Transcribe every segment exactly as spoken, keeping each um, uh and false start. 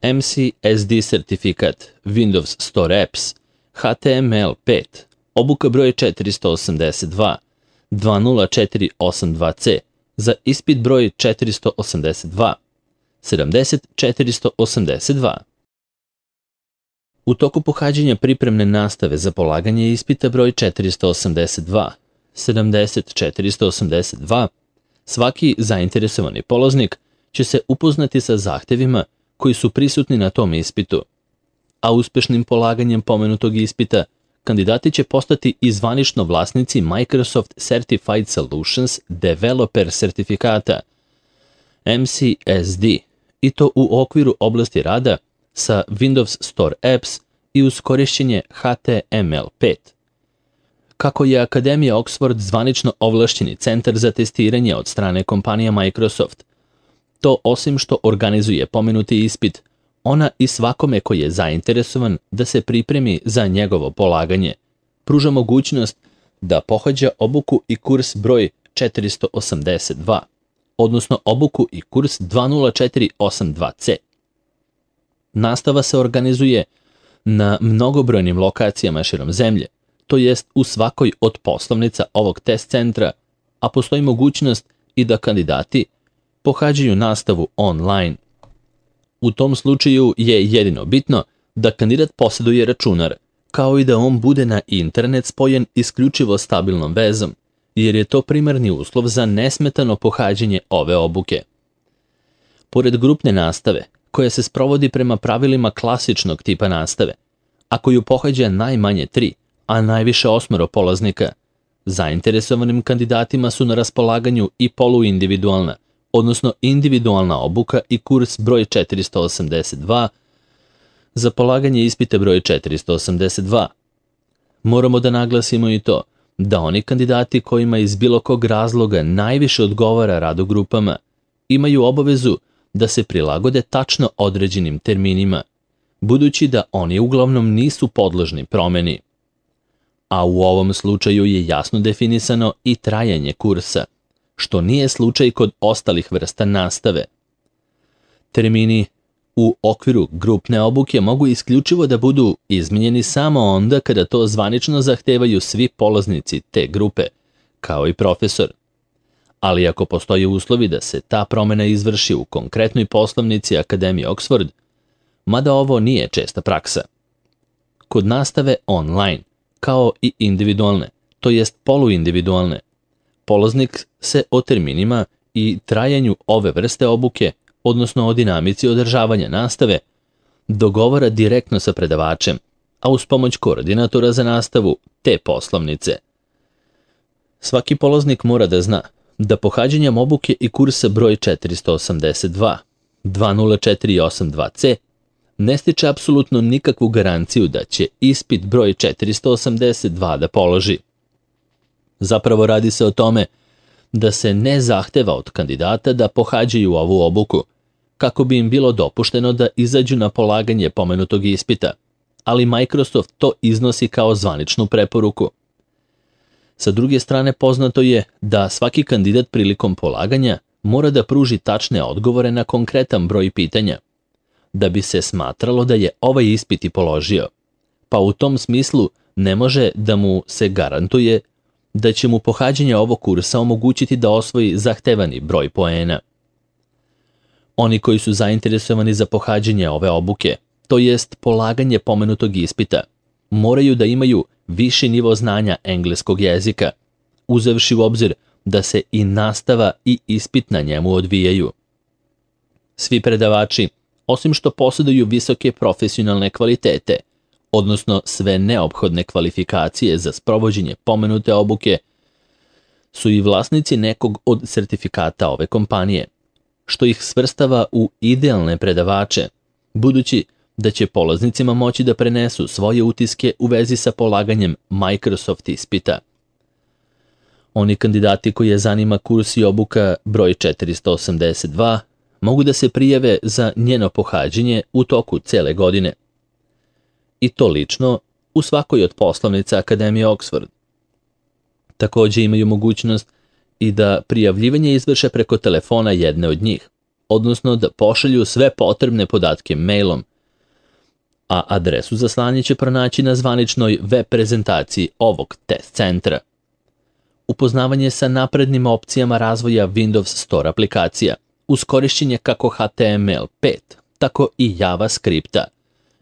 M C S D sertifikat, Windows Store Apps, H T M L pet, obuka broj četiristo osamdeset dva, dva nula četiri osam dva C, za ispit broj četiristo osamdeset dva, sedamdeset četiristo osamdeset dva. U toku pohađanja pripremne nastave za polaganje ispita broj četiristo osamdeset dva, sedamdeset četiristo osamdeset dva, svaki zainteresovani polaznik će se upoznati sa zahtevima koji su prisutni na tom ispitu, a uspešnim polaganjem pomenutog ispita kandidati će postati i zvanično vlasnici Microsoft Certified Solutions Developer sertifikata M C S D, i to u okviru oblasti rada sa Windows Store Apps i uz korišćenje H T M L pet. Kako je Akademija Oxford zvanično ovlašćeni centar za testiranje od strane kompanija Microsoft, to osim što organizuje pomenuti ispit, ona i svakome koji je zainteresovan da se pripremi za njegovo polaganje, pruža mogućnost da pohađa obuku i kurs broj četiristo osamdeset dva, odnosno obuku i kurs dva nula četiri osam dva C. Nastava se organizuje na mnogobrojnim lokacijama širom zemlje, to jest u svakoj od poslovnica ovog test centra, a postoji mogućnost i da kandidati pohađaju nastavu online. U tom slučaju je jedino bitno da kandidat posjeduje računar, kao i da on bude na internet spojen isključivo stabilnom vezom, jer je to primarni uslov za nesmetano pohađanje ove obuke. Pored grupne nastave, koja se sprovodi prema pravilima klasičnog tipa nastave, a koju pohađa najmanje tri, a najviše osmero polaznika, zainteresovanim kandidatima su na raspolaganju i poluindividualna, odnosno individualna obuka i kurs broj četiristo osamdeset dva za polaganje ispita broj četiristo osamdeset dva. Moramo da naglasimo i to da oni kandidati kojima iz bilo kog razloga najviše odgovara rad u grupama imaju obavezu da se prilagode tačno određenim terminima, budući da oni uglavnom nisu podložni promeni. A u ovom slučaju je jasno definisano i trajanje kursa, što nije slučaj kod ostalih vrsta nastave. Termini u okviru grupne obuke mogu isključivo da budu izmenjeni samo onda kada to zvanično zahtevaju svi polaznici te grupe, kao i profesor. Ali ako postoje uslovi da se ta promena izvrši u konkretnoj poslovnici Akademije Oxford, mada ovo nije česta praksa. Kod nastave online, kao i individualne, to jest poluindividualne, polaznik se o terminima i trajanju ove vrste obuke, odnosno o dinamici održavanja nastave, dogovara direktno sa predavačem, a uz pomoć koordinatora za nastavu te poslovnice. Svaki polaznik mora da zna da pohađanjem obuke i kursa broj četiristo osamdeset dva, dva nula četiri osam dva C ne stiče apsolutno nikakvu garanciju da će ispit broj četiristo osamdeset dva da položi. Zapravo radi se o tome da se ne zahteva od kandidata da pohađaju ovu obuku, kako bi im bilo dopušteno da izađu na polaganje pomenutog ispita, ali Microsoft to iznosi kao zvaničnu preporuku. Sa druge strane, poznato je da svaki kandidat prilikom polaganja mora da pruži tačne odgovore na konkretan broj pitanja, da bi se smatralo da je ovaj ispit i položio, pa u tom smislu ne može da mu se garantuje da će mu pohađanje ovog kursa omogućiti da osvoji zahtevani broj poena. Oni koji su zainteresovani za pohađanje ove obuke, to jest polaganje pomenutog ispita, moraju da imaju viši nivo znanja engleskog jezika, uzevši u obzir da se i nastava i ispit na njemu odvijaju. Svi predavači, osim što posjeduju visoke profesionalne kvalitete, odnosno sve neophodne kvalifikacije za sprovođenje pomenute obuke, su i vlasnici nekog od sertifikata ove kompanije, što ih svrstava u idealne predavače, budući da će polaznicima moći da prenesu svoje utiske u vezi sa polaganjem Microsoft ispita. Oni kandidati koji je zanima kurs i obuka broj četiristo osamdeset dva mogu da se prijave za njeno pohađanje u toku cele godine. I to lično u svakoj od poslovnica Akademije Oxford. Također imaju mogućnost i da prijavljivanje izvrše preko telefona jedne od njih, odnosno da pošalju sve potrebne podatke mailom, a adresu za slanje će pronaći na zvaničnoj web prezentaciji ovog test centra. Upoznavanje sa naprednim opcijama razvoja Windows Store aplikacija uz korišćenje kako H T M L pet, tako i JavaScripta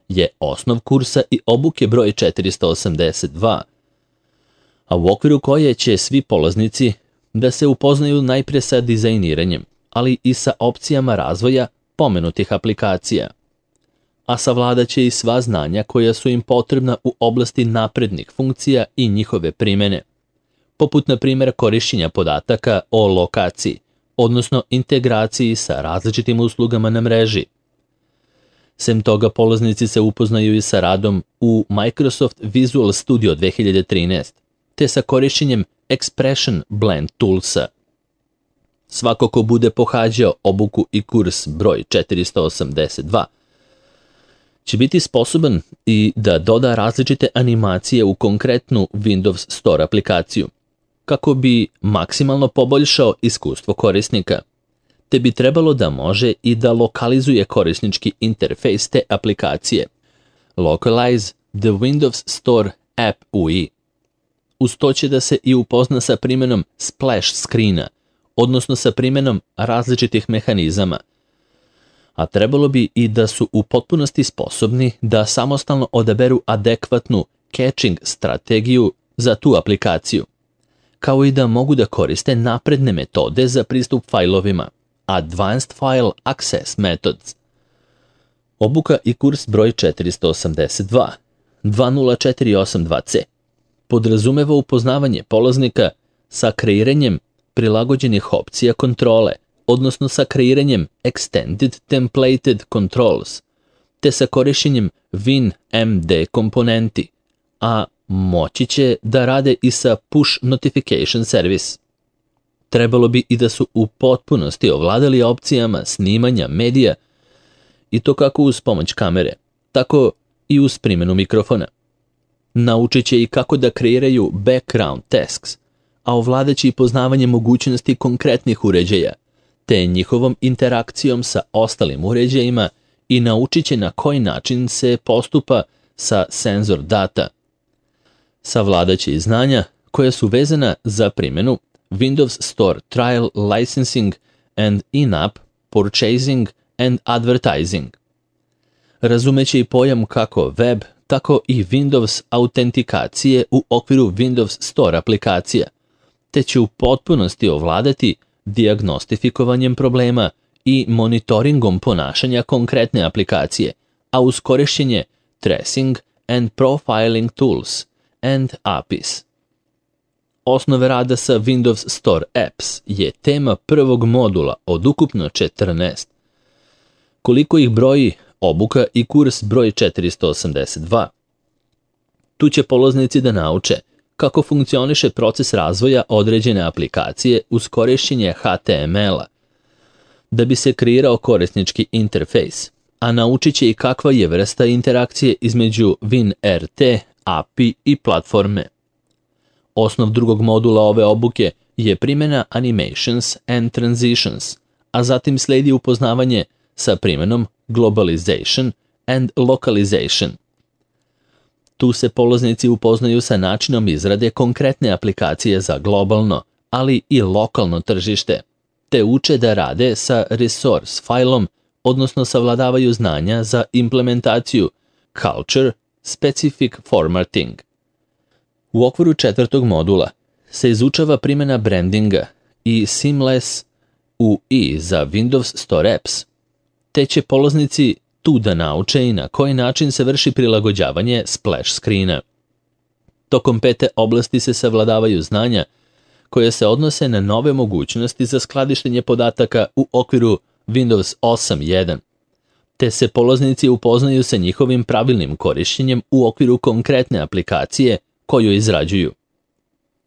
je osnov kursa i obuke broj četiristo osamdeset dva, a u okviru koje će svi polaznici da se upoznaju najprije sa dizajniranjem, ali i sa opcijama razvoja pomenutih aplikacija, a savladat će i sva znanja koja su im potrebna u oblasti naprednih funkcija i njihove primjene, poput na primjer korišćenja podataka o lokaciji, odnosno integraciji sa različitim uslugama na mreži. Sem toga, polaznici se upoznaju i sa radom u Microsoft Visual Studio dve hiljade trinaest, te sa korišćenjem Expression Blend Toolsa. Svako ko bude pohađao obuku i kurs broj četiristo osamdeset dva će biti sposoban i da doda različite animacije u konkretnu Windows Store aplikaciju, kako bi maksimalno poboljšao iskustvo korisnika, te bi trebalo da može i da lokalizuje korisnički interfejs te aplikacije, Localize the Windows Store App U I. Uz to će da se i upozna sa primjenom splash screena, odnosno sa primjenom različitih mehanizama, a trebalo bi i da su u potpunosti sposobni da samostalno odaberu adekvatnu caching strategiju za tu aplikaciju, kao i da mogu da koriste napredne metode za pristup fajlovima, Advanced File Access Methods. Obuka i kurs broj četiristo osamdeset dva dva nula četiri osam dva C podrazumeva upoznavanje polaznika sa kreiranjem prilagođenih opcija kontrole, odnosno sa kreiranjem Extended Templated Controls, te sa korišćenjem WinMD komponenti, a moći će da rade i sa Push Notification Service. Trebalo bi i da su u potpunosti ovladali opcijama snimanja medija, i to kako uz pomoć kamere, tako i uz primjenu mikrofona. Naučit će i kako da kreiraju background tasks, a ovladaće i poznavanje mogućnosti konkretnih uređaja, te njihovom interakcijom sa ostalim uređajima i naučit će na koji način se postupa sa senzor data. Savladat će i znanja koja su vezana za primjenu Windows Store Trial Licensing and In-App Purchasing and Advertising. Razumeće i pojam kako web, tako i Windows autentikacije u okviru Windows Store aplikacija, te će u potpunosti ovladati dijagnostifikovanjem problema i monitoringom ponašanja konkretne aplikacije, a uz korišćenje Tracing and Profiling Tools and A P Is. Osnove rada sa Windows Store Apps je tema prvog modula od ukupno četrnaest. Koliko ih broji obuka i kurs broj četiristo osamdeset dva. Tu će polaznici da nauče kako funkcioniše proces razvoja određene aplikacije uz korišćenje H T M L-a, da bi se kreirao korisnički interfejs, a naučit će i kakva je vrsta interakcije između WinRT, A P I i platforme. Osnov drugog modula ove obuke je primjena Animations and Transitions, a zatim sledi upoznavanje sa primjenom Globalization and Localization. Tu se polaznici upoznaju sa načinom izrade konkretne aplikacije za globalno, ali i lokalno tržište, te uče da rade sa resource failom, odnosno savladavaju znanja za implementaciju Culture Specific Formatting. U okviru četvrtog modula se izučava primjena brandinga i Seamless U I za Windows Store Apps, te će polaznici tu da nauče i na koji način se vrši prilagođavanje splash screena. Tokom pete oblasti se savladavaju znanja koje se odnose na nove mogućnosti za skladištenje podataka u okviru Windows osam jedan, te se polaznici upoznaju sa njihovim pravilnim korišćenjem u okviru konkretne aplikacije koju izrađuju.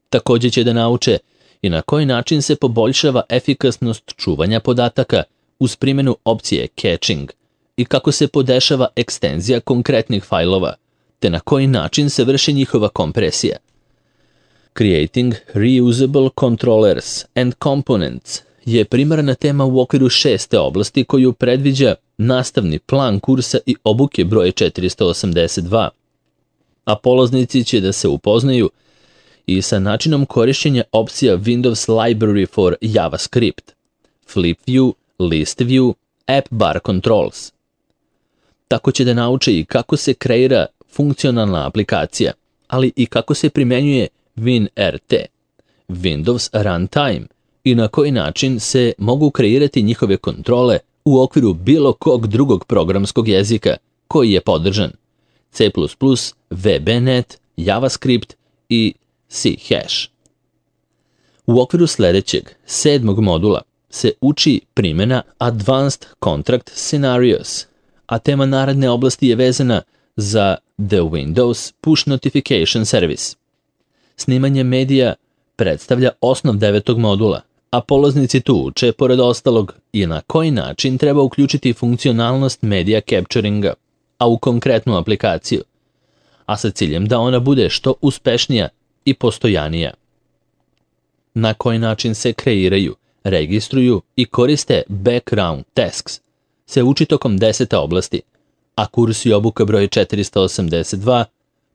Također će da nauče i na koji način se poboljšava efikasnost čuvanja podataka uz primjenu opcije caching i kako se podešava ekstenzija konkretnih fajlova, te na koji način se vrši njihova kompresija. Creating reusable controllers and components je primarna tema u okviru šeste oblasti koju predviđa nastavni plan kursa i obuke broj četiristo osamdeset dva, a polaznici će da se upoznaju i sa načinom korišćenja opcija Windows Library for JavaScript, Flip View, List View, App Bar Controls. Tako će da nauče i kako se kreira funkcionalna aplikacija, ali i kako se primenjuje WinRT, Windows Runtime, i na koji način se mogu kreirati njihove kontrole u okviru bilo kog drugog programskog jezika koji je podržan, C plus plus, V B net, JavaScript i C hash. U okviru sledećeg, sedmog modula, se uči primjena Advanced Contract Scenarios, a tema naredne oblasti je vezana za The Windows Push Notification Service. Snimanje medija predstavlja osnov devetog modula, a polaznici tu uče, pored ostalog, i na koji način treba uključiti funkcionalnost media capturinga, a u konkretnu aplikaciju, a sa ciljem da ona bude što uspešnija i postojanija. Na koji način se kreiraju, registruju i koriste background tasks se uči tokom desete oblasti, a kurs i obuka broj četiristo osamdeset dva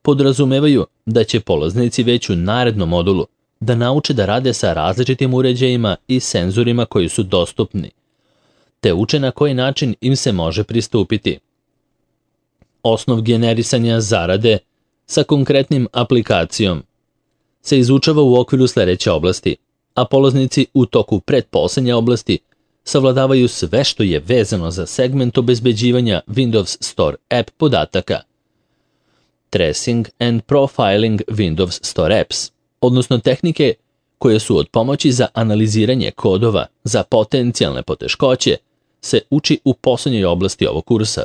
podrazumevaju da će polaznici već u narednom modulu da nauče da rade sa različitim uređajima i senzorima koji su dostupni, te uče na koji način im se može pristupiti. Osnov generisanja zarade sa konkretnim aplikacijom se izučava u okviru sledeće oblasti, a polaznici u toku pretposlednje oblasti savladavaju sve što je vezano za segment obezbeđivanja Windows Store app podataka, Tracing and Profiling Windows Store apps, odnosno tehnike koje su od pomoći za analiziranje kodova za potencijalne poteškoće, se uči u poslednjoj oblasti ovog kursa.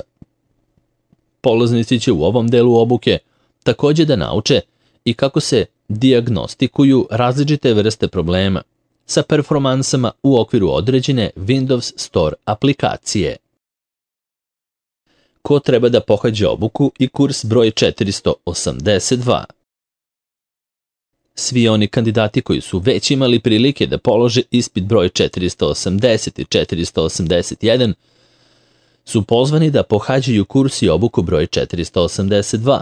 Polaznici će u ovom delu obuke takođe da nauče i kako se dijagnostikuju različite vrste problema sa performansama u okviru određene Windows Store aplikacije. Ko treba da pohađa obuku i kurs broj četiristo osamdeset dva? Svi oni kandidati koji su već imali prilike da polože ispit broj četiristo osamdeset i četiristo osamdeset jedan su pozvani da pohađaju kurs i obuku broj četiristo osamdeset dva,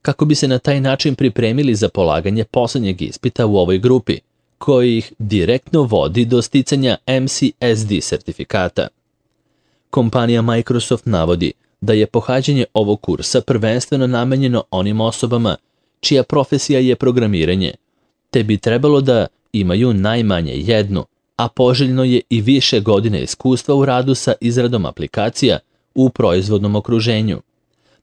kako bi se na taj način pripremili za polaganje poslednjeg ispita u ovoj grupi, koji ih direktno vodi do sticanja M C S D sertifikata. Kompanija Microsoft navodi da je pohađanje ovog kursa prvenstveno namenjeno onim osobama čija profesija je programiranje, te bi trebalo da imaju najmanje jednu, a poželjno je i više godine iskustva u radu sa izradom aplikacija u proizvodnom okruženju,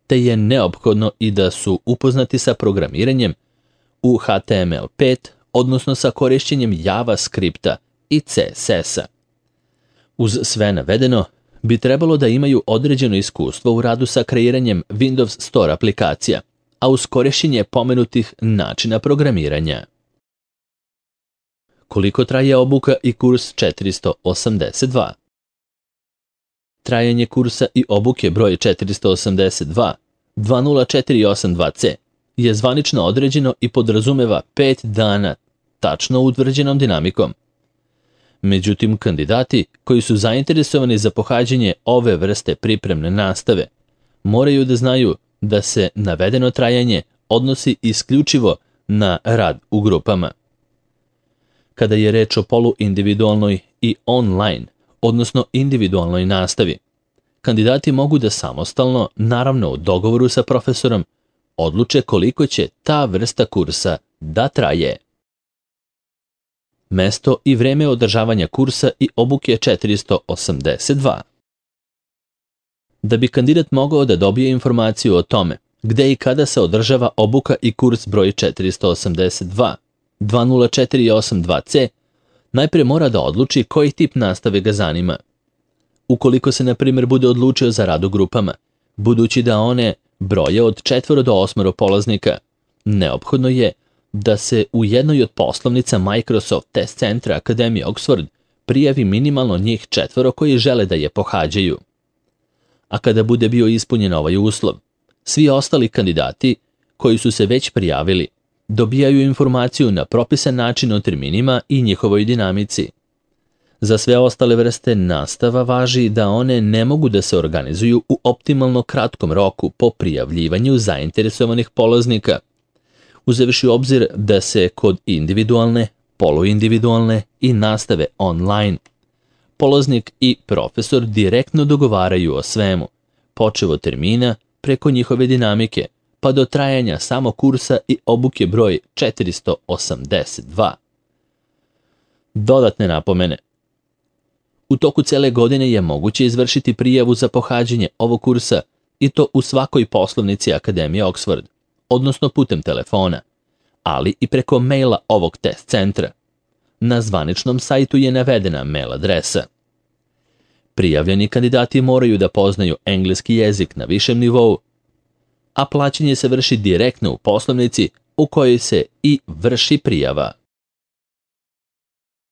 te je neophodno i da su upoznati sa programiranjem u H T M L pet, odnosno sa korišćenjem JavaScripta i C S S-a. Uz sve navedeno, bi trebalo da imaju određeno iskustvo u radu sa kreiranjem Windows Store aplikacija, a uz korišćenje pomenutih načina programiranja. Koliko traje obuka i kurs četiristo osamdeset dva? Trajanje kursa i obuke broj četiristo osamdeset dva dva nula četiri osam dva C je zvanično određeno i podrazumeva pet dana tačno utvrđenom dinamikom. Međutim, kandidati koji su zainteresovani za pohađanje ove vrste pripremne nastave moraju da znaju da se navedeno trajanje odnosi isključivo na rad u grupama. Kada je reč o poluindividualnoj i online, odnosno individualnoj nastavi, kandidati mogu da samostalno, naravno u dogovoru sa profesorom, odluče koliko će ta vrsta kursa da traje. Mesto i vreme održavanja kursa i obuke četiristo osamdeset dva. Da bi kandidat mogao da dobije informaciju o tome gde i kada se održava obuka i kurs broj četiristo osamdeset dva dva nula četiri osam dva C, najpre mora da odluči koji tip nastave ga zanima. Ukoliko se, na primjer, bude odlučio za rad u grupama, budući da one broje od četvoro do osmoro polaznika, neophodno je da se u jednoj od poslovnica Microsoft Test Centra Akademije Oxford prijavi minimalno njih četvoro koji žele da je pohađaju. A kada bude bio ispunjen ovaj uslov, svi ostali kandidati koji su se već prijavili dobijaju informaciju na propisan način o terminima i njihovoj dinamici. Za sve ostale vrste nastava važi da one ne mogu da se organizuju u optimalno kratkom roku po prijavljivanju zainteresovanih polaznika, uzevši u obzir da se kod individualne, poluindividualne i nastave online polaznik i profesor direktno dogovaraju o svemu, počev od termina, preko njihove dinamike, pa do trajanja samog kursa i obuke broj četiristo osamdeset dva. Dodatne napomene. U toku cele godine je moguće izvršiti prijavu za pohađanje ovog kursa i to u svakoj poslovnici Akademije Oxford, odnosno putem telefona, ali i preko maila ovog test centra. Na zvaničnom sajtu je navedena mail adresa. Prijavljeni kandidati moraju da poznaju engleski jezik na višem nivou, a plaćanje se vrši direktno u poslovnici u kojoj se i vrši prijava.